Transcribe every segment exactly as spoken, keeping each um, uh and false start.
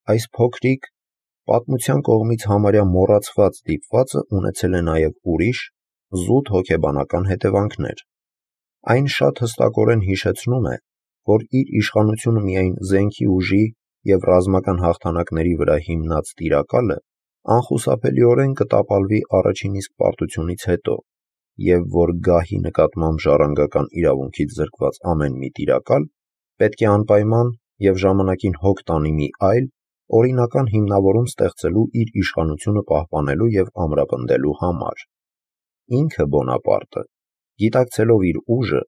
այս փոքրիկ, պատմության կողմից համարյա մոռացված դիպվածը ունեցել է նաև ուրիշ, զուտ հոգեբանական հետևանքներ։ Այն շատ հստակորեն հիշեցնում է, որ իր իշխանությունը միայն զենքի ուժի և ռազմական հաղթանակների վրա հիմնած տիրակալը անխուսափելիորեն կտապալվի առաջին իսկ պարտությունից հետո, և որ գահի նկատմամբ ժառանգական իրավունքից զրկված ամեն մի տիրակալ պետք է անպայման և ժամանակին հոգ տանի մի այլ, օրինական հիմնավորում ստեղծելու իր իշխանությունը պահպանելու և ամրապնդելու համար։ Ինքը Բոնապարտը, գիտակցելով իր ուժը,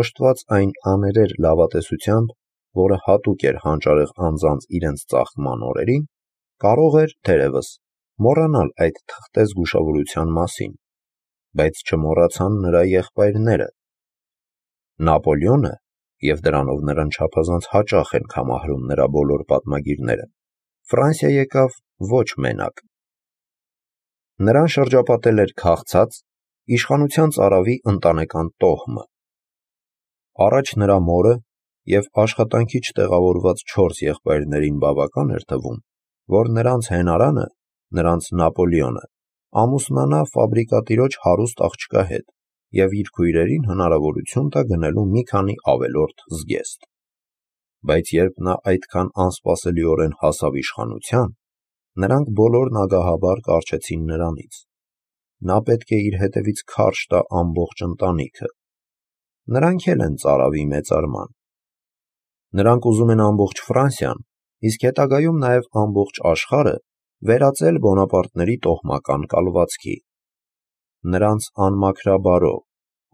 օժտված այն աներեր լավատեսությամբ, որը հատուկ էր հանճարեղ անձանց իրենց ծաղկման օրերին, կարող էր, թերևս, մոռանալ այդ թղթե զգուշավորության մասին, բայց չմոռացան նրա եղբայրները։ Նապոլեոնը, և դրանով նրան չափազանց հաճախ են կամահարում նրա բոլոր պատմագիրները, Ֆրանսիա եկավ ոչ մենակ։ Նրան շրջապատել էր քաղցած, իշխանության ծարավի ընտանեկան տոհմը։ Առաջ նրա մորը և աշխատանքի չտեղավորված չորս եղբայրներին բավական էր թվում, որ նրանց հենարանը, նրանց Նապոլեոնը, ամուսնանա ֆաբրիկատիրոջ հարուստ աղջկա հետ և իր քույրերին հնարավորություն տա գնելու մի քանի ավելորդ զգեստ։ Բայց երբ նա այդքան անսպասելիորեն հասավ իշխանության, նրանք բոլորն ագահաբար կառչեցին նրանից։ Նա պետք է իր հետևից քարշ տա ամբողջ ընտանիքը։ Նրանք էլ են ծարավի մեծարման։ Նրանք ուզում են ամբողջ Ֆրանսիան, իսկ հետագայում նաև ամբողջ աշխարհը վերածել Բոնապարտների տոհմական կալվածքի։ Նրանց անմաքրաբարո,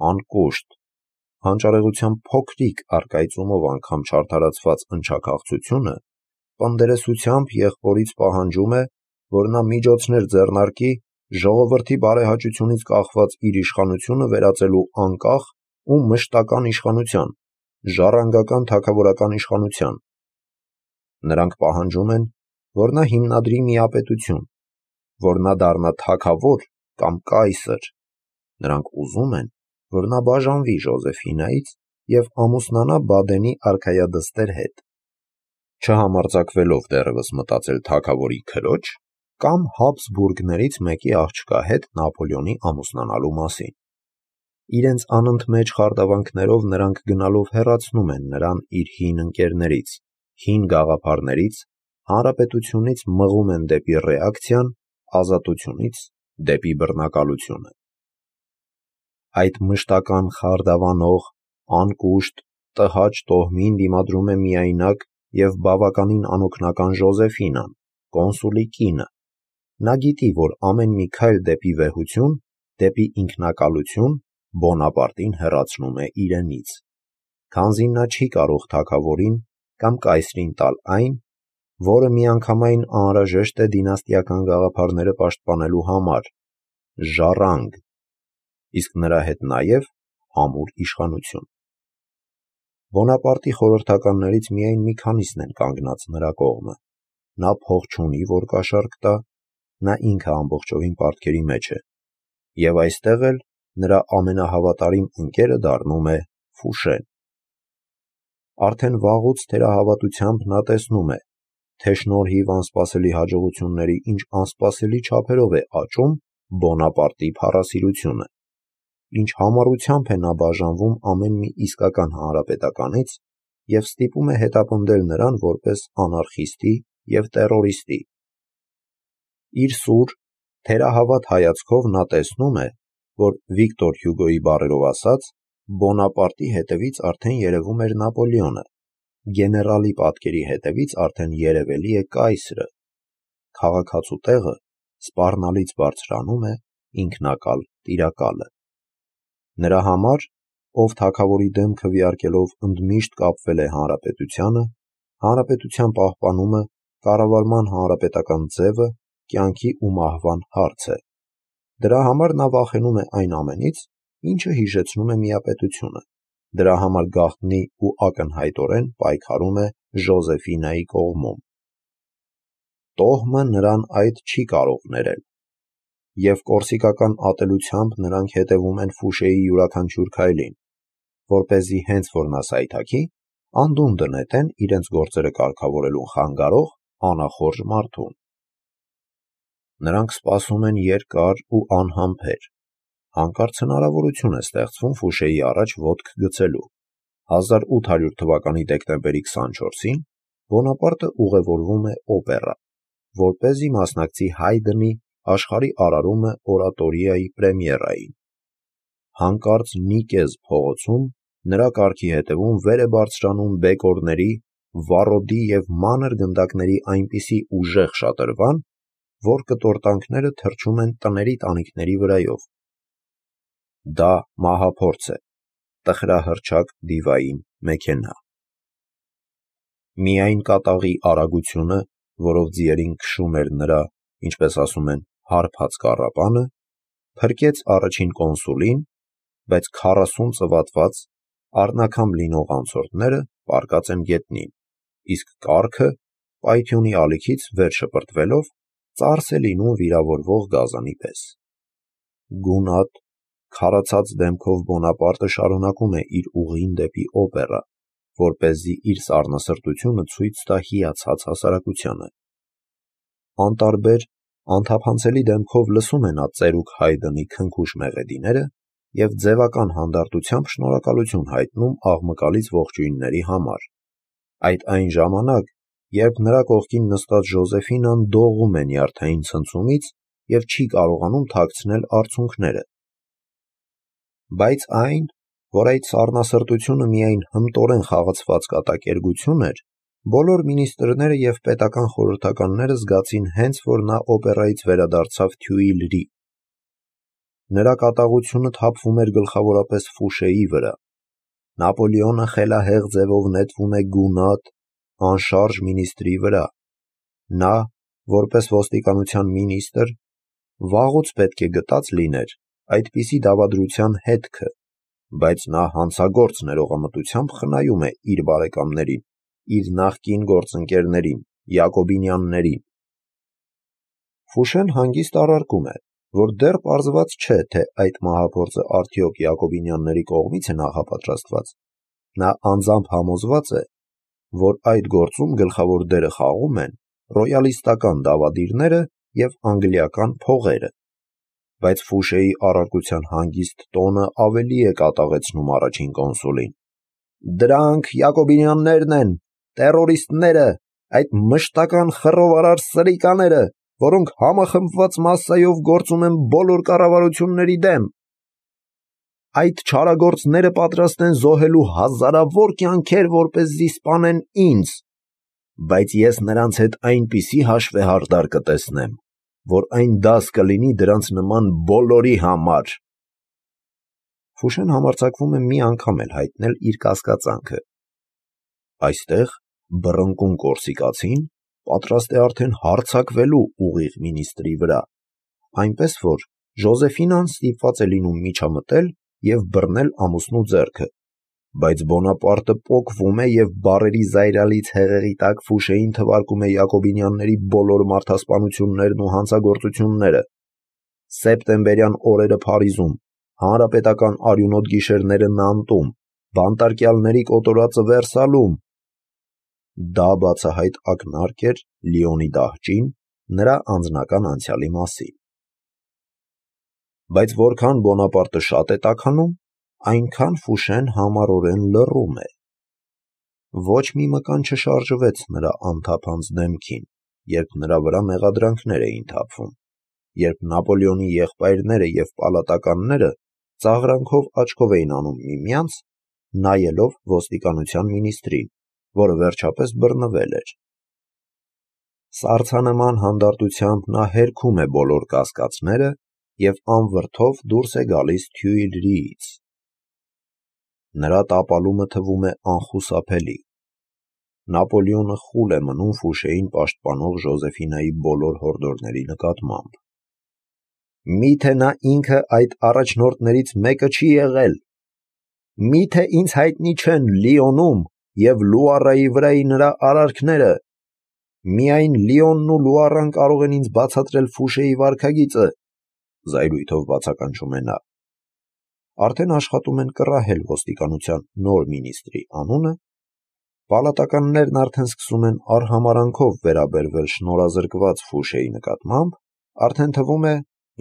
անկուշտ, հանճարեղության փոքրիկ առկայծումով անգամ չարդարացված ընչաքաղցությունը պնդերեսությամբ եղբորից պահանջում է, որ նա միջոցներ ձեռնարկի ժողովրդի բարեհաճությունից կախված իր իշխանությունը վերածելու անկախ ու մշտական իշխանության, ժառանգական թագավորական իշխանության։ Նրանք պահանջում են, որ նա հիմնադրի միապետություն, որ նա դառնա թագավոր կամ կայսր։ Նրանք ուզում են, որ նա բաժանվի Ժոզեֆինայից և ամուսնանա Բադենի արքայադստեր հետ, չհամարձակվելով դեռևս մտածել թագավորի քրոջ կամ Հաբսբուրգներից մեկի աղջկա հետ Նապոլեոնի ամուսնանալու մասին։ Իրենց անընդմեջ խարդավանքներով նրանք գնալով հեռացնում են նրան իր հին ընկերներից, հին գաղափարներից, հանրապետությունից մղում են դեպի ռեակցիան, ազատությունից դեպի բռնակալությունը։ Այդ մշտական խարդավանող, անկուշտ, տհաճ տոհմին դիմադրում է միայնակ և բավականին անօգնական Ժոզեֆինան, կոնսուլի կինը։ Նա գիտի, որ ամեն մի քայլ դեպի վեհություն, դեպի ինքնակալություն Բոնապարտին հեռացնում է իրենից, քանզի նա չի կարող թագավորին կամ կայսրին տալ այն, որը միանգամայն անհրաժեշտ է դինաստիական գաղափարները պաշտպանելու համար՝ ժառանգ, իսկ նրա հետ նաև ամուր իշխանություն։ Բոնապարտի խորհրդականներից միայն մի քանիսն են կանգնած նրա կողմը։ Նա փող չունի, որ կաշառք տա, նա ինքը ամբողջովին պարտքերի մեջ է, և այստեղ էլ նրա ամենահավատարիմ ընկերը դառնում է Ֆուշեն։ Արդեն վաղուց թերահավատությամբ նա տեսնում է, թե շնորհիվ անսպասելի հաջողությունների ինչ անսպասելի չափերով է աճում Բոնապարտի փառասիրությունը, ինչ համառությամբ է նա բաժանվում ամեն մի իսկական հանրապետականից և ստիպում է հետապնդել նրան որպես անարխիստի և տերորիստի։ Իր սուր, թերահավատ հայացքով նա տեսնում է, որ Վիկտոր Հյուգոյի բառերով ասած, Բոնապարտի հետևից արդեն երևում էր Նապոլեոնը, գեներալի պատկերի հետևից արդեն երևելի է կայսրը, քաղաքացու տեղը սպառնալից բարձրանում է ինքնակալ տիրակալը։ Նրա համար, ով թագավորի դեմ քվեարկելով ընդմիշտ կապվել է հանրապետությանը, հանրապետության պահպանումը, կառավարման հանրապետական ձևը կյանքի ու մահվան հարց է։ Դրա համար նա վախենում է այն ամենից, ինչը հիշեցնում է միապետությունը, դրա համար գաղտնի ու ակնհայտորեն պայքարում է Ժոզեֆինայի կողմում։ Տոհմը նրան այդ չի կարող ներել, և կորսիկական ատելությամբ նրանք հետևում են Ֆուշեի յուրաքանչյուր քայլին, որպեսզի հենց որ նա սայթաքի, անդունդը նետեն իրենց գործերը կարգավորելուն խանգարող անախորժ մարդուն։ Նրանք սպասում են երկար ու անհամբեր։ Հանկարծ հնարավորություն է ստեղծվում Ֆուշեի առաջ ոտք գցելու։ հազար ութ հարյուր թվականի դեկտեմբերի քսանչորսին Բոնապարտը ուղևորվում է օպերա, որպեսզի մասնակցի Հայդնի աշխարհի արարումը օրատորիայի պրեմիերային։ Հանկարծ Նիկեզ փողոցում նրա կառքի հետևում վեր է բարձրանում բեկորների, վառոդի և մանր գնդակների այնպիսի ուժեղ շատրվան, որ կտորտանքները թռչում են տների տանիքների վրայով։ Դա մահափորձ է, տխրահռչակ դիվային մեքենա։ Միայն կատաղի արագությունը, որով ձիերին քշում էր նրա, ինչպես ասում են, հարբած կառապանը, փրկեց առաջին կոնսուլին, բայց քառասուն ծվատված, առնաքամ լինող անցորդները պառկած են գետնին, իսկ կառքը, պայթյունի ալիքից վեր շպրտվելով, ծարս է լինում վիրավորվող գազանի պես։ Գունատ, քարացած դեմքով Բոնապարտը շարունակում է իր ուղին դեպի օպերա, որպեսզի իր սառնասրտությունը ցույց տա հիացած հասարակությանը։ Անտարբեր, անթափանցելի դեմքով լսում է նա ծերուկ Հայդնի քնքուշ մեղեդիները և ձևական հանդարտությամբ շնորհակալություն հայտնում աղմկալից ողջույնների համար։ Այդ այն ժամանակ, երբ նրա կողքին նստած Ժոզեֆինան դողում է նյարդային ցնցումից և չի կարողանում թաքցնել արցունքները։ Բայց այն, որ այդ սառնասրտությունը միայն հմտորեն խաղացված կատակերգություն էր, բոլոր մինիստրները և պետական խորհրդականները զգացին հենց որ նա օպերայից վերադարձավ Թյուիլրի։ Նրա կատաղությունը թափվում էր գլխավորապես Ֆուշեի վրա։ Նապոլեոնը խելահեղ ձևով նետվում է գունատ, անշարժ մինիստրի վրա։ Նա, որպես ոստիկանության մինիստր, վաղուց պետք է գտած լիներ այդպիսի դավադրության հետքը, բայց նա հանցագործ ներողամտությամբ խնայում է իր բարեկամներին, իր նախկին գործընկերներին, յակոբինյաններին։ Ֆուշեն հանգիստ առարկում է, որ դեռ պարզված չէ, թե այդ մահափորձը արդյոք յակոբինյանների կողմից է նախապատրաստված։ Նա անձամբ համոզված է, որ այդ գործում գլխավոր դերը խաղում են ռոյալիստական դավադիրները և անգլիական փողերը։ Բայց Ֆուշեի առարկության հանգիստ տոնը ավելի է կատաղեցնում առաջին կոնսուլին։ Դրանք յակոբինյաններն են, տերորիստները, այդ մշտական խռովարար սրիկաները, որոնք համախմբված մասսայով գործում են բոլոր կառավարությունների դեմ։ Այդ չարագործները պատրաստ են զոհելու հազարավոր կյանքեր, որպեսզի սպանեն ինձ, բայց ես նրանց հետ այնպիսի հաշվեհարդար կտեսնեմ, որ այն դաս կլինի դրանց նման բոլորի համար։ Ֆուշեն համարձակվում է մի անգամ էլ հայտնել իր կասկածանքը։ Այստեղ բռնկուն կորսիկացին պատրաստ է արդեն հարձակվելու ուղիղ մինիստրի վրա, այնպես որ Ժոզեֆինան ստիպված է լինում միջամտել և բռնել ամուսնու ձեռքը, բայց Բոնապարտը պոկվում է և բառերի զայրալից հեղեղի տակ Ֆուշեին թվարկում է յակոբինյանների բոլոր մարդասպանություններն ու հանցագործությունները։ Սեպտեմբերյան օրերը Փարիզում, հանրապետական արյունոտ գիշերները Նանտում, բանտարկյալների կոտորածը Վերսալում։ Դա բացահայտ ակնարկ էր Լիոնի դահճին նրա անձնական անցյալի մասին։ Բայց որքան Բոնապարտը շատ է տաքանում, այնքան Ֆուշեն համառորեն լռում է։ Ոչ մի մկան չշարժվեց նրա անթափանց դեմքին, երբ նրա վրա մեղադրանքներ էին թափվում, երբ Նապոլեոնի եղբայրները և պալատականները ծաղրանքով աչքով էին անում միմյանց, նայելով ոստիկանության մինիստրին, որը վերջապես բռնվել էր։ Սառցանման հանդարտությամբ նա հերքում է բոլոր կասկածները և անվրդով դուրս է գալիս Թյուիլրիից։ Նրա տապալումը թվում է անխուսափելի։ Նապոլեոնը խուլ է մնում Ֆուշեին պաշտպանող Ժոզեֆինայի բոլոր հորդորների նկատմամբ։ Մի՞թե նա ինքը այդ առաջնորդներից մեկը չի եղել։ Մի՞թե ինձ հայտնի չեն Լիոնում և Լուարայի վրայի նրա արարքները։ Միայն Լիոնն ու Լուարան կարող են ինձ բացատրել Ֆուշեի վարքագիծը, զայրույթով բացականչում է նա։ Արդեն աշխատում են կռահել ոստիկանության նոր մինիստրի անունը, Պալատականներն արդեն սկսում են արհամարանքով վերաբերվել շնորհազրկված Ֆուշեի նկատմամբ, արդեն թվում է,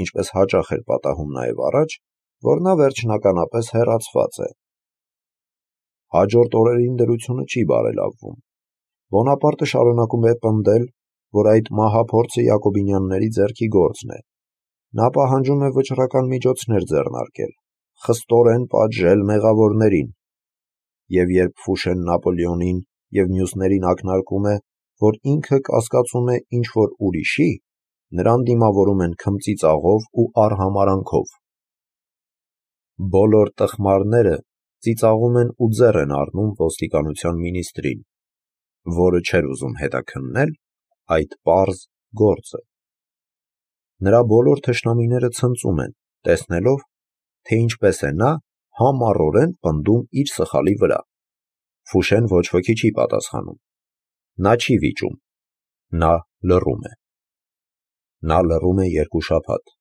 ինչպես հաճախ էր պատահում նաև առաջ, որ նա վերջնականապես հեռացված է։ Հաջորդ օրերին դրությունը չի բարելավվում։ Բոնապարտը շարունակում է պնդել, որ այդ մահափորձը Յակոբինյանների ձեռքի գործն է։ Նա պահանջում է վճռական միջոցներ ձեռնարկել, խստորեն պատժել մեղավորներին, և երբ Ֆուշեն Նապոլեոնին և մյուսներին ակնարկում է, որ ինքը կասկածում է ինչ-որ ուրիշի, նրան դիմավորում են քմծիծաղով ու արհամարանքով։ Բոլոր տխմարները ծիծաղում են ու ձեռ են առնում ոստիկանության մինիստրին, որը չէր ուզում հետաքննել այդ պարզ գործը։ Նրա բոլոր թշնամիները ցնծում են, տեսնելով, թե ինչպես է նա համառորեն պնդում իր սխալի վրա։ Ֆուշեն ոչ ոքի չի պատասխանում։ Նա չի վիճում։ Նա լռում է։ Նա լռում է երկու շաբաթ։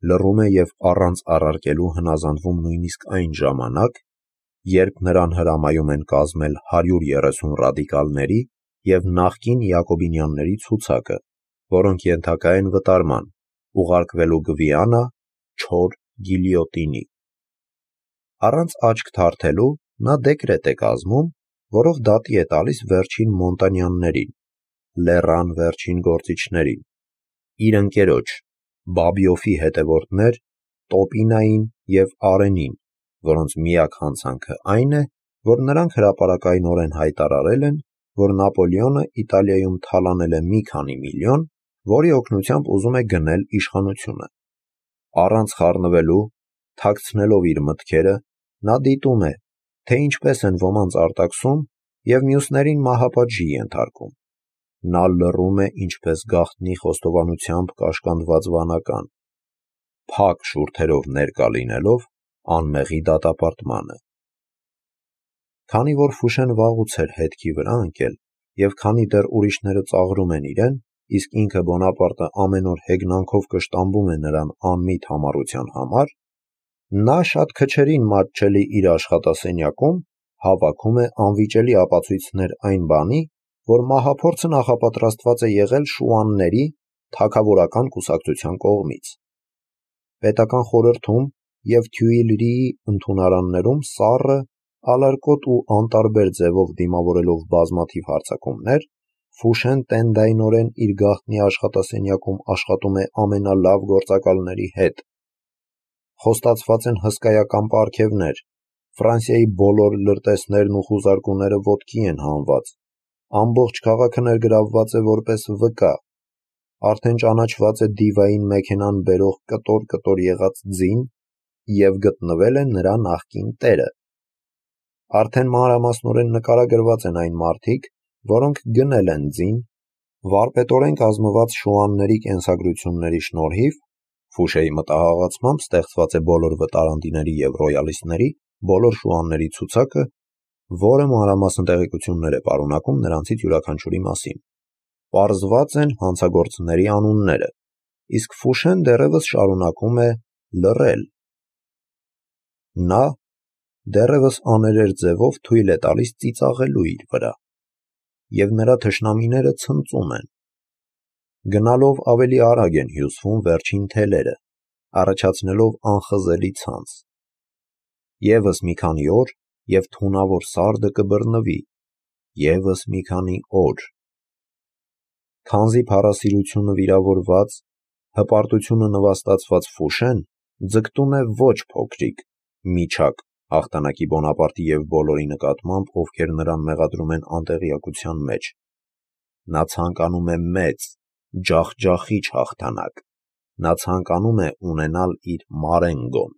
Լռում է և առանց առարկելու հնազանդվում նույնիսկ այն ժամանակ, երբ նրան հրամայում են կազմել հարյուր երեսուն ռադիկալների և նախկին Յակոբինյանների ցուցակը, որոնք ենթակա են վտարման, ուղարկվելու Գվիանա չոր գիլյոտինի։ Առանց աչք թարթելու նա դեկրետ է կազմում, որով դատի է տալիս վերջին Մոնտանյաններին, լեռան վերջին գործիչներին, իր ընկերոջ, Բաբիոֆի հետևորդներ Տոպինային և Արենին, որոնց միակ հանցանքը այն է, որ նրանք հրապարակայնորեն հայտարարել են, որ Նապոլեոնը Իտալիայում թալանել է մի քանի միլիոն, որի օգնությամբ ուզում է գնել իշխանությունը։ Առանց խառնվելու, թաքցնելով իր մտքերը, նա դիտում է, թե ինչպես են ոմանց արտաքսում և մյուսներին մահապատժի ենթարկում։ Նա լռում է ինչպես գաղտնի խոստովանությամբ կաշկանդված վանական, փակ շուրթերով ներկա լինելով անմեղի դատապարտմանը։ Քանի որ Ֆուշեն վաղուց էր հետքի վրա ընկել, և քանի դեռ ուրիշները ծաղրում են իրեն, իսկ ինքը Բոնապարտը ամեն օր հեգնանքով կշտամբում է նրան անմիտ համառության համար, նա շատ քչերին մատչելի իր աշխատասենյակում հավաքում է անվիճելի ապացույցներ այն բանի, որ մահափորձը նախապատրաստված է եղել շուանների թագավորական կուսակցության կողմից։ Պետական խորհրդում և Թյուիլրիի ընդունարաններում սառը, ալարկոտ ու անտարբեր ձևով դիմավորելով բազմաթիվ հարձակումներ, Ֆուշեն տենդայնորեն իր գաղտնի աշխատասենյակում աշխատում է ամենալավ գործակալների հետ։ Խոստացված են հսկայական պարգևներ, Ֆրանսիայի բոլոր լրտեսներն ու խուզարկուները ոտքի են հանված, ամբողջ քաղաքը ներգրավված է որպես վկա, արդեն ճանաչված է դիվային մեքենան բերող կտոր-կտոր եղած ձին և գտնվել է նրա նախկին տերը։ Արդեն մանրամասնորեն նկարագրված են այն մարդիկ, որոնք գնել են ձին, վարպետորեն կազմված շուանների կենսագրությունների շնորհիվ Ֆուշեի մտահաղացմամբ ստեղծված է բոլոր վտարանդիների և ռոյալիստների բոլոր շուանների ցուցակը, որը մանրամասն տեղեկություններ է պարունակում նրանցից յուրաքանչյուրի մասին։ Պարզված են հանցագործների անունները, իսկ Ֆուշեն դեռևս շարունակում է լռել։ Նա դեռևս աներեր ձևով թույլ է տալիս ծիծաղելու իր վրա, և նրա թշնամիները ցնծում են։ Գնալով ավելի արագ են հյուսվում վերջին թելերը, առաջացնելով անխզելի ցանց։ Եվս մի քանի օր, և թունավոր սարդը կբռնվի, ևս մի քանի օր։ Քանզի փառասիրությունը վիրավորված, հպարտությունը նվաստացված Ֆուշեն ձգտում է ոչ փոքրիկ, միջակ հաղթանակի Բոնապարտի և բոլորի նկատմամբ, ովքեր նրան մեղադրում են անտեղյակության մեջ։ Նա ցանկանում է մեծ, ջախջախիչ հաղթանակ։ Նա ցանկանում է ունենալ իր Մարենգոն։